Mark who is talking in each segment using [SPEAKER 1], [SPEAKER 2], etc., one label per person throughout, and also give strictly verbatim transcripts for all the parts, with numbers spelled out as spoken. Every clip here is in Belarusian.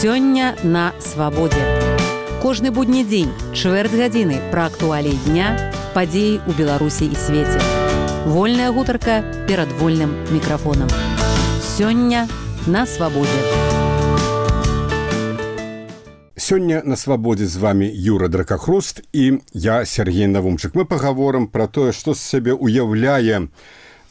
[SPEAKER 1] Сёння на свабодзе. Кожны будні дзень, чвэрць гадзіны пра актуаліі дня, падзеі ў Беларусі і свеце. Вольная гутарка перад вольным мікрафонам. Сёння на свабодзе.
[SPEAKER 2] Сёння на свабодзе з вами Юра Дракахруст і я, Сергей Навумчык. Мы пагаворым пра тое, што з сябе уяўляе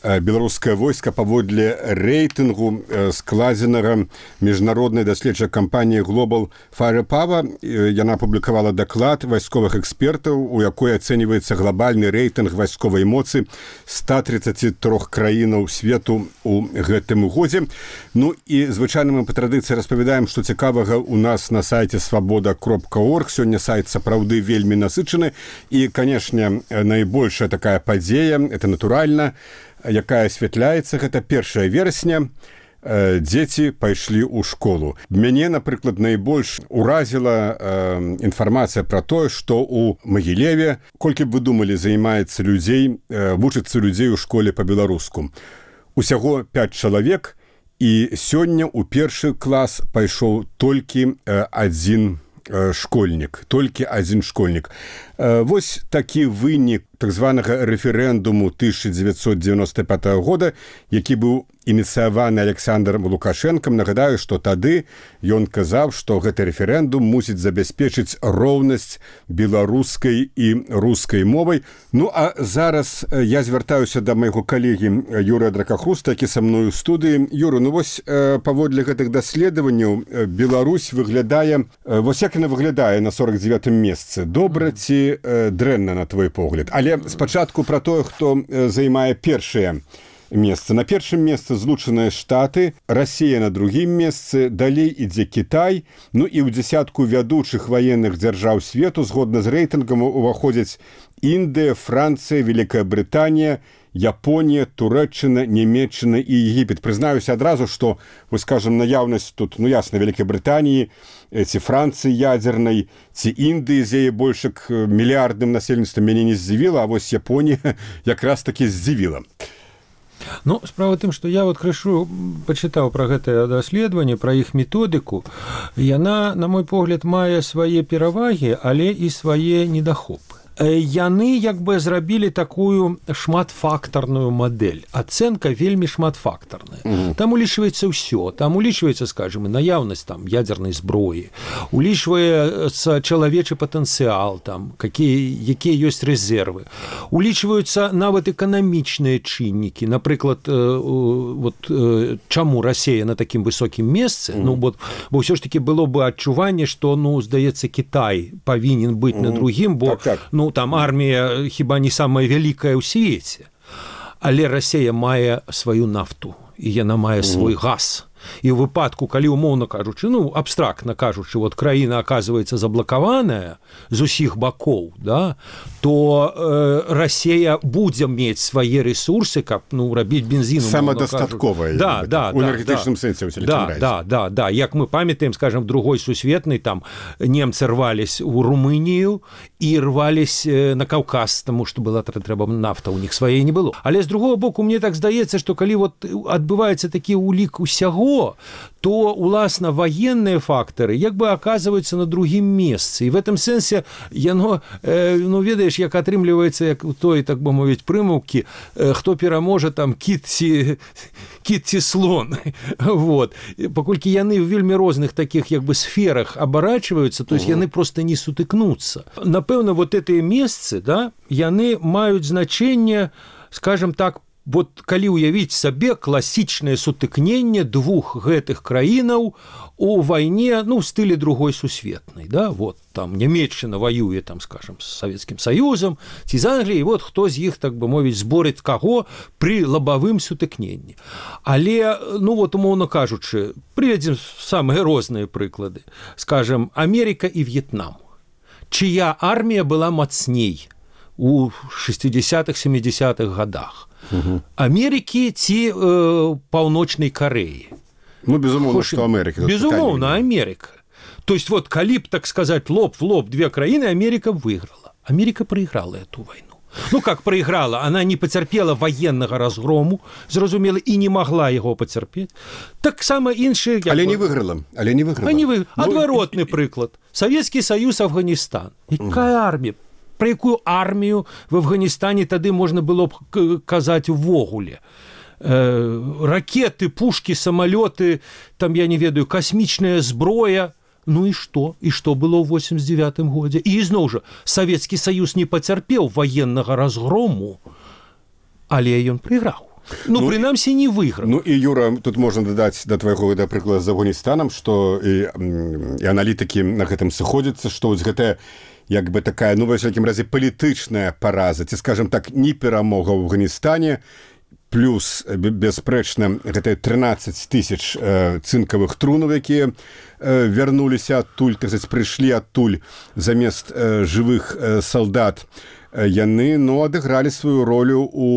[SPEAKER 2] беларускае войска паводле рэйтынгу складзенага міжнароднай даследчай кампаніі Global Firepower. Яна апублікавала даклад вайсковых экспертаў, у якой ацэньваецца глобальны рэйтынг вайсковай моцы ста тридцати трёх краінаў свету у гэтым годзе. Ну і звычайна мы па традыцыі распавядаем, што цікавага у нас на сайце свабода кропка орг. Сёння сайт сапраўды вельмі насычаны і, канешне, найбольшая такая падзея, это натуральна, якая асвятляецца, гэта першае верасня, дзеці пайшлі ў школу. Мяне, напрыклад, найбольш уразіла э, інфармацыя пра тое, што ў Магілеве, колькі б вы думалі, займаецца людзей, э, вучыцца людзей у школе па-беларуску. Усяго пяць чалавек, і сёння ў першы клас пайшоў толькі э, адзін э, школьнік, толькі адзін школьнік. Э, вось такі вынік так званага рэферэндуму тысяча дзевяцьсот дзевяносто пятого года, які быў ініцыяваны Александром Лукашэнкам. Нагадаю, што тады ён казаў, што гэты рэферэндум мусіць забяспечыць роўнасць беларускай і рускай мовай. Ну, а зараз я звяртаюся да майго калегі Юрыя Дракахруста, які са мною ў студыі. Юра, ну вось паводле гэтых даследаванняў Беларусь выглядае, вось як яна выглядае на сорок девятым месцы. Добра ці дрэнна, на твой погляд? Але спачатку пра тое, хто займае першае месца. На першым месцы Злучаныя Штаты, Расія на другім месцы, далей ідзе Кітай, ну і ў дзясятку вядучых ваенных дзяржаў свету згодна з рэйтынгам уваходзяць Індыя, Францыя, Великая Брытанія, Японія, Турэччына, Нямецчына і Егіпет. Прызнаюся адразу, што, вось скажам, наяўнасць тут, ну ясна, Великай Брытаніі, ці Францыі ядзернай, ці Індыі з яе больш мільярдным насельніцтвам мяне не здзівіла, а вось Японія якраз такі здзівіла.
[SPEAKER 3] Ну, справа тым, што я вот крышу пачытаў пра гэтае даследаванне, пра іх методыку. Яна, на мой погляд, мае свае перавагі, але і свае недахопы. Яны як бы зрабілі такую шматфактарную мадэль. Ацэнка вельмі шматфактарная. Mm-hmm. Там улічваецца ўсё. Там улічваецца, скажем, і наяўнасць там ядзернай зброі, улічваецца чалавечы патэнцыял, там, какие, якія ёсць рэзервы. Улічваюцца нават эканамічныя чыннікі. Напрыклад, э, вот, э, чаму Расія на такім высокім месцы? Mm-hmm. Ну, бо, бо ўсё ж таки было бы адчуванне, што, ну, здаецца, Кітай павінен быць mm-hmm. на другім, бо, так, так. ну, там армія хіба не самая вялікая ў свеце. Але Расія мае сваю нафту, і яна мае свой газ. І ў выпадку, калі умоўна кажучы, ну, абстрактна кажучы, вот краіна аказваецца заблакаваная з усіх бакоў, да, то э, Расія будзе мець свае рэсурсы, каб, ну, рабіць бензін.
[SPEAKER 2] Самадастатковая.
[SPEAKER 3] Да, да,
[SPEAKER 2] у
[SPEAKER 3] да,
[SPEAKER 2] энергетычным
[SPEAKER 3] да,
[SPEAKER 2] сэнсе.
[SPEAKER 3] Да, да, да, да. Як мы памятаем, скажем, другой сусветнай, там немцы рвались у Румынію і рвались на Каўказ, таму што была трэба нафта, у них сваей не было. Але з другого боку, мне так здаецца, што калі вот адбываецца такі улік усяго, то, уласна, военные факторы як бы оказываются на другім месцы. І в этом сэнсе яно, э, ну, ведаеш, як атрымліваецца, як у той, так бы мовіць, прымаўкі, э, хто пераможа, там, кіт ці, кіт ці слон. Вот. Паколькі яны в вельмі розных таких, як бы, сферах абарачваюцца, то есть яны просто не сутыкнуцца. Напэўна, вот гэтыя месцы, да, яны маюць значэнне, скажем так, вот калі ўявіць сабе класічнае сутыкненне двух гэтых краінаў у вайне, ну, в стылі другой сусветнай, да, вот там Нямецчына воюе, там, скажем, с Савецкім Саюзам, ці з Англіяй, вот хто з іх, так бы мовіць, зборыць каго пры лабавым сутыкненні. Але, ну, вот, умоўна кажучы, прыведзем самыя розныя прыклады. Скажем, Америка і В'етнам. Чыя армія была мацней у шестидесятых семидесятых годах? Угу. Америки ці э, Паўночнай Кореі.
[SPEAKER 2] Ну, безумоўна, што Америка.
[SPEAKER 3] Безумоўна, Америка. То есть, вот, калі б, так сказать, лоб в лоб две краіны, Америка выиграла. Америка проиграла эту войну. Ну, как проиграла? Она не потерпела военного разгрому, зразумела, и не могла его потерпеть. Так само іншие...
[SPEAKER 2] Але не выиграла. Але не выиграла.
[SPEAKER 3] Не выиграла.
[SPEAKER 2] Ну,
[SPEAKER 3] Отворотный
[SPEAKER 2] и...
[SPEAKER 3] приклад. Советский Союз, Афганистан. Якая армия? Про якую армію в Афганістане тады можна было б казаць увогуле? Э, ракеты, пушки, самолеты, там, я не ведаю, космічная зброя. Ну і што? І што было ў восемьдесят девятым годзе? І ізноў жа, Савецкі Саюз не пацярпеў военнага разгрому, але ён прайграў. Ну, ну прынамсі, не выйграў.
[SPEAKER 2] Ну і, Юра, тут можна дадаць да твайго да прыклада з Афганістанам, што і, і аналітыкі на гэтым сыходзяцца, што вось гэтая як бы такая, ну, ва ўсякім разе, палітычная параза, ці, скажем так, не перамога ў Афганістане, плюс, бясспрэчна, гэта трынаццаць тысяч э, цынкавых трунаў, якія э, вярнуліся адтуль, так сказаць, прыйшлі адтуль замест э, жывых э, салдат. Э, яны, ну, адыгралі сваю ролю у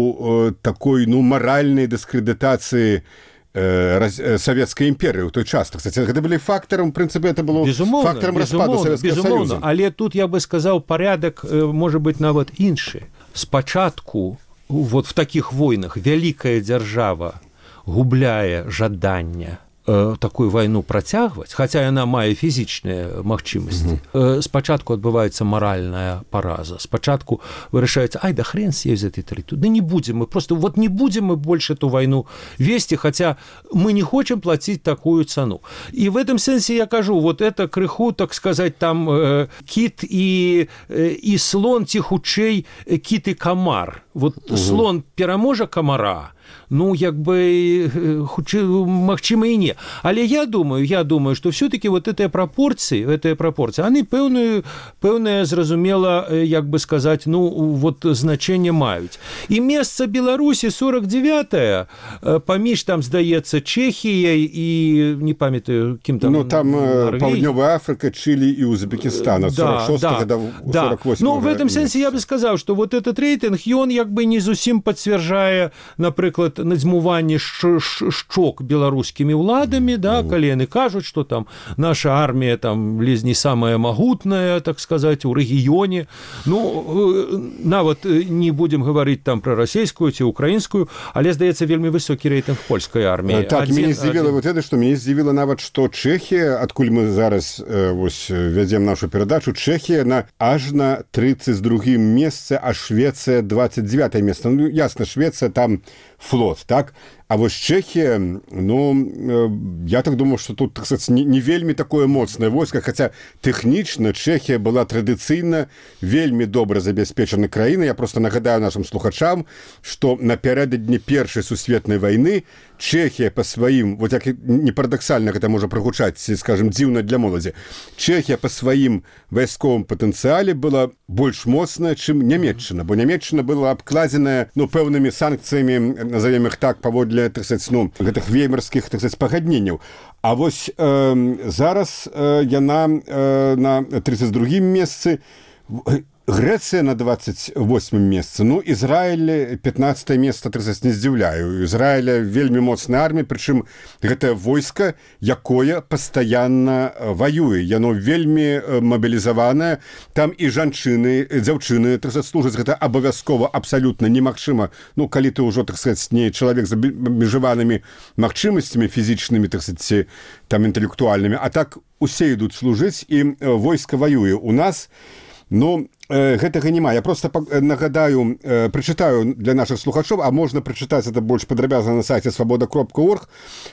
[SPEAKER 2] э, такой, ну, маральнай дыскрэдытацыі э, раз, э, Савецкай імперыі ў той час. Так сказаць, гэта былі фактарам, в прынцыпе, это было
[SPEAKER 3] безумоўна,
[SPEAKER 2] фактарам распаду Савецкага Саюза.
[SPEAKER 3] Але тут, я бы сказаў, парядак, э, можа быць, нават іншы. Спачатку вот в таких войнах вялікая дзяржава губляе жаданне э, такую вайну працягваць, хаця яна мае фізічныя магчымасці. Mm-hmm. Э, спачатку адбываецца маральная параза. Спачатку вырашаецца, ай, да хрен с ёй з этой тэрыторыі. Да не будем мы, просто вот не будем мы больше эту войну вести, хотя мы не хотим платить такую цену. И в этом сенсе я кажу, вот это крыху, так сказать, там э, кит и, э, и слон, ці хутчэй э, кит и комар. Вот угу. Слон пераможа комара, ну, як бы, магчыма і не. Але я думаю, я думаю, что все-таки вот этой пропорции, этой пропорции, они пэўную, пэўное, зразумела, як бы сказать, ну, вот значение маюць. И место Беларуси сорок девятое, паміж там, здаецца, Чехией и, не памятаю, кем там...
[SPEAKER 2] Ну, там Паўднёвая Африка, Чили и Узбекистан от сорок шостого
[SPEAKER 3] да,
[SPEAKER 2] до сорок восьмого.
[SPEAKER 3] Ну, в этом сенсе я бы сказал, что вот этот рейтинг, он як бы не зусім пацвярджае, напрыклад, надзьмуванне шчок беларускімі ўладамі, да, калі яны кажуць, што там наша армія там ледзь не самая магутная, так сказать, у рэгіёне. Ну, нават не будем гаварыць там пра расійскую ці украінскую, але, здаецца, вельмі высокі рэйтынг польскай арміі.
[SPEAKER 2] Так, адзін, мяне здзівіла вот это, што мяне здзівіла нават, што Чэхія, адкуль мы зараз э, вось вядзем нашу перадачу, Чэхія на аж на тридцать другім месцы, а Швецыя двадцать девятое место. Ну, ясно, Швеция там флот, так? А вось Чэхія, ну, я так думаю, што тут, так сказать, не, не вельмі такое моцнае войска, хаця тэхнічна Чэхія была традыцыйна вельмі добра забяспечана краіна. Я просто нагадаю нашим слухачам, што напярэдадні першай сусветнай вайны Чэхія па сваім, вот як не парадаксальна гэта можа прагучаць, скажем, дзіўна для моладзі, Чэхія па сваім вайсковым патэнцыяле была больш моцная, чым Нямецчына, бо Нямецчына была абкладзеная, ну, пэўнымі санкцыямі, назовем их так, паводле, так сказать, ну, гэтых веймарскіх, так сказать, пагадненняў. А вось э, зараз э, яна э, на тридцать другім месцы, Грэцыя на двадцать восьмым месцы, ну, Ізраіль пятнадцатое место, так сказать, не здзіўляю. Ізраіля вельмі моцная армія, прычым гэтае войска, якое пастаянна ваюе. Яно вельмі мабілізаванае. Там і жанчыны, дзяўчыны, так сказать, служаць. Гэта абавязкова абсалютна немагчыма. Ну, калі ты ўжо, так сказать, не чалавек з абмежаванымі магчымасцямі фізічнымі, так сказать, там інтэлектуальнымі, а так усе ідуць служыць, і войска ваюе. У нас, ну, гэтага няма. Я просто нагадаю, прачытаю для наших слухачоў, а можна прачытаць это больш падрабязна на сайце свабода кропка орг.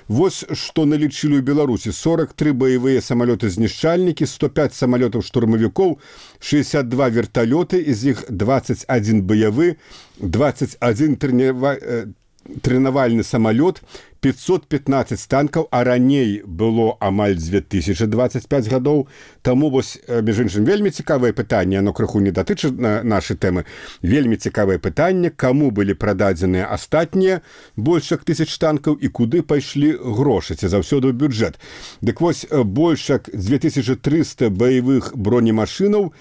[SPEAKER 2] Вось што налічылі ў Беларусі: сорок три баявыя самалёты-знішчальнікі, сто пять самалётаў штурмавікоў, шестьдесят два верталёты, из іх двадцать один баявы, двадцать один трэнавальны самалёт, пятьсот пятнадцать танкаў, а раней было амаль две тысячи двадцать пять гадоў. Таму вось, між іншым, вельмі цікавае пытанне, оно крыху не датычы на нашай тэмы. Вельмі цікавае пытанне, каму былі прададзеныя астатнія больш як тысяч танкаў і куды пайшлі грошы, ці заўсёды ў бюджэт. Дык вось, больш як две тысячи триста баявых бронемашынаў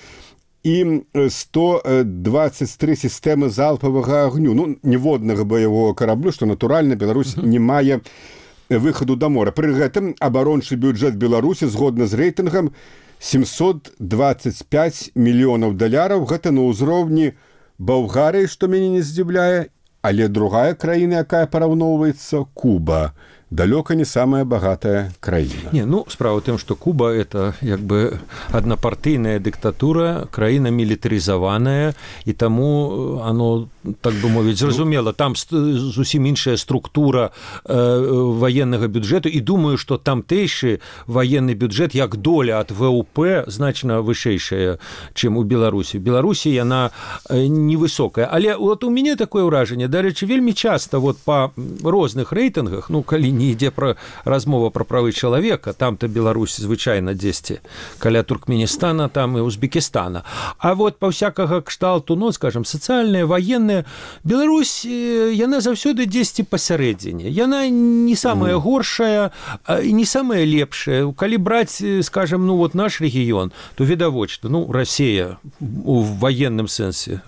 [SPEAKER 2] і сто двадцать три сістэмы залпавага агню. Ну, ніводнага баявога караблю, што, натуральна, Беларусь не мае выхаду да мора. Пры гэтым абарончы бюджэт Беларусі, згодна з рэйтынгам, семьсот двадцать пять мільёнаў даляраў. Гэта на ўзроўні Балгарыя, што мяне не здзіўляе, але другая краіна, якая параўноўваецца, Куба. Далёка не самая богатая краіна.
[SPEAKER 3] Не, ну, справа ў тым, што Куба – это як бы аднапартыйная дыктатура, краіна мілітарызаваная, і таму оно, так бы мовіць, зразумела, там зусім іншая структура э, ваеннага бюджэту, і думаю, што тамтэйшы ваенны бюджэт, як доля ад ВУП, значна вышэйшая, чым у Беларусі. У Беларусі яна невысокая. Але вот у мяне такое ўражанне, дарэчы, вельмі часта вот па розных рэйтынгах, ну, калі не ідзе пра размова пра правы чалавека, там-то Беларусь звычайна дзесьці каля Туркменістана, там і Узбекістана. А вот па всякага кшталту, ну, скажем, сацыяльная, ваенная, Беларусь, яна заўсёды дзесьці пасярэдзіне. Яна не самая горшая і не самая лепшая. Калі браць, скажем, ну, вот наш рэгіён, то відавочна, ну, Расія у ваенным сэнсе,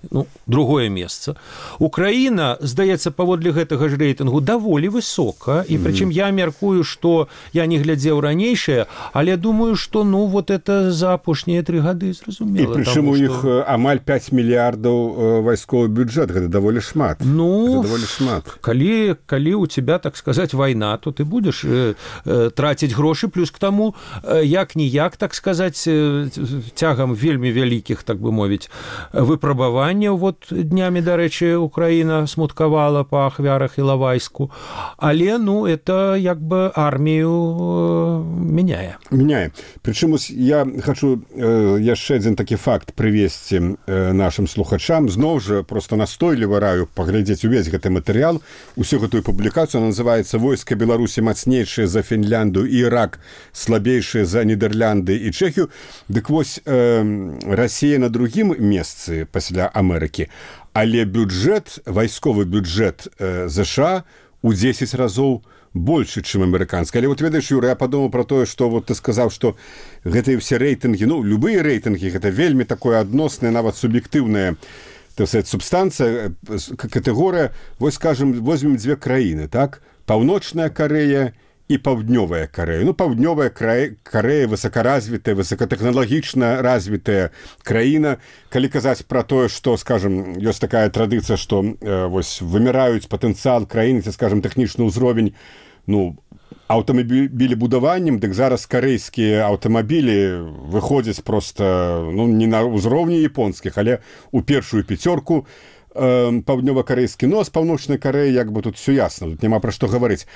[SPEAKER 3] ну, другое месца. Украіна, здаецца, паводле гэтага ж рэйтынгу даволі высока, і прычым я мяркую, што я не глядзеў ранейшае, але думаю, што ну вот это за апошнія тры гады зразумела.
[SPEAKER 2] І прычым у іх што... амаль пяць мільярдаў вайсковы бюджэт, гэта даволі шмат.
[SPEAKER 3] Ну,
[SPEAKER 2] даволі шмат.
[SPEAKER 3] Калі, калі у тебя, так сказаць, вайна, то ты будзеш э, э, траціць грошы, плюс к таму, э, як-ніяк, так сказаць, э, цягам вельмі вялікіх, так бы мовіць, выпрабаванняў. Вот днямі, дарэчы, Украіна смуткавала па ахвярах Ілавайску. Але, ну, это як бы армію э, мяняе.
[SPEAKER 2] Мяняе. Прычым, я хочу э, яшчэ адзін такі факт прывесці э, нашым слухачам. Зноў жа, просто настойліва раю паглядзець увесь гэты матэрыял. Усю гэтую публікацыю называецца «Войска Беларусі мацнейшае за Фінлянду і Ірак, слабейшае за Нідерлянды і Чэхію». Дык вось, э, Расія на другім месцы пасля Амерыкі, але бюджэт, вайсковы бюджэт э, ЗША у дзесяць разоў больше, чым амерыканскі. Але вот ведаеш, Юра, я падумаў пра тое, што вот ты сказаў, што гэтыя ўсе рэйтынгі, ну, любыя рэйтынгі, гэта вельмі такое адноснае, нават суб'ектыўная, так сказать, субстанцыя, катэгорыя. Вось, скажем, возьмем дзве краіны, так? Паўночная Карэя і паўднёвая Карэя. Ну, паўднёвая Карэя высокаразвітая, высокатэхналагічна развітая краіна. Калі казаць пра тое, што, скажем, ёсць такая традыцыя, што э, вось выміраюць патэнцыял краіны, ці, скажем, тэхнічны ўзровень, ну, аўтамабілебудаваннем, дык зараз карэйскія аўтамабілі выходзяць проста, ну, не на ўзроўні японскіх, але ў першую пяцёрку э, паўднёва-карэйскі. Ну, а з паўночнай Карэі, як бы, тут все ясна, тут няма пра што гаварыць.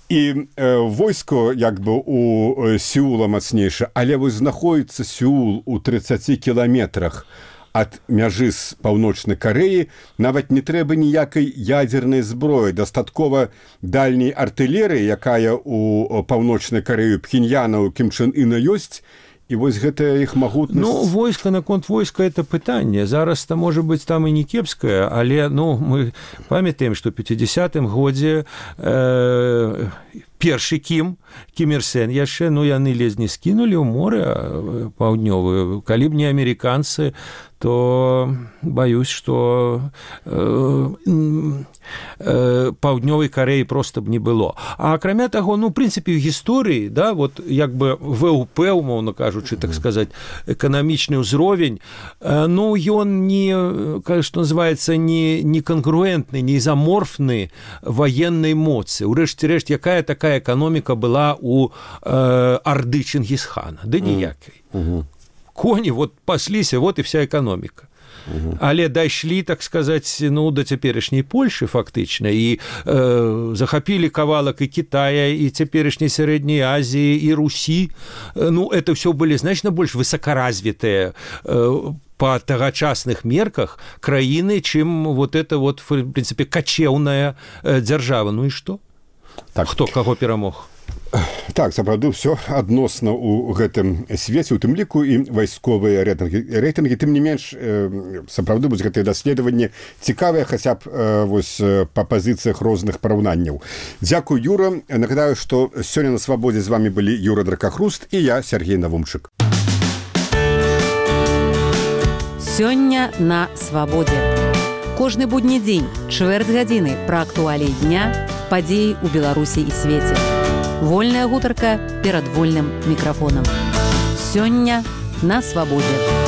[SPEAKER 2] І э, войско, як бы, у э, Сеула мацнейшае, але вось знаходіцца Сеул у трыццаці кіламетрах ад мяжы з паўночнай Карэі, нават не трэба ніякай ядзернай зброі, дастаткова дальняй артылерыі, якая у паўночнай Карэі Пхеньяна, у Кім Чен Іна ёсць, і вось гэтая іх магутнасць.
[SPEAKER 3] Ну, войска, наконт войска, это пытанне. Зараз-то, можа быць, там і не кепскае, але, ну, мы памятаем, што ў пяцідзясятым годзе э, першы Кім, Кім Ір Сен яшчэ, ну, яны ледзь не скінулі ў море паўднёвую. Калі б не амерыканцы, то баюсь, што э, э, паўднёвай Карэі проста б не было. А акрамя таго, ну, в прынцыпе, ў гісторыі, да, вот як бы ВУП, умоўна кажучы, так сказаць, эканамічны ўзровень, э, ну, ён не, што называецца, не, не кангруэнтны, не изаморфны ваеннай моцы. Урэшце рэшт, якая такая эканоміка была у э, Арды Чингісхана? Да ніякай.
[SPEAKER 2] Mm-hmm.
[SPEAKER 3] Коні вот пасліся, вот і вся эканоміка. Uh-huh. Але дайшлі, так сказаць, ну, да цяперашняй Польшы фактычна, і э, захапілі кавалак і Кітая, і цяперашняй Сярэдняй Азіі, і Русі. Ну, это ўсё былі значна больш высокаразвітыя э, па тагачасных мерках краіны, чым вот это вот, в прынцыпе, качеўная э, дзяржава. Ну і што? Так. Хто каго перамог?
[SPEAKER 2] Так, сапраўды, ўсё адносна ў гэтым свеце, у тым ліку і вайсковыя рэйтынгі. рэйтынгі. Тым не менш, сапраўды, будзе гэтае даследаванне цікавае, хаця б вось, па пазіцыях розных параўнанняў. Дзякуй, Юра. Нагадаю, што сёння на свабодзе з вами былі Юра Дракахруст і я, Сергей Навумчык.
[SPEAKER 1] Сёння на свабодзе. Кожны будні дзень, чвэрць гадзіны пра актуаліі дня, падзеі ў Беларусі і свеце. Вольная гутарка перад вольным мікрафонам. Сёння на свабодзе.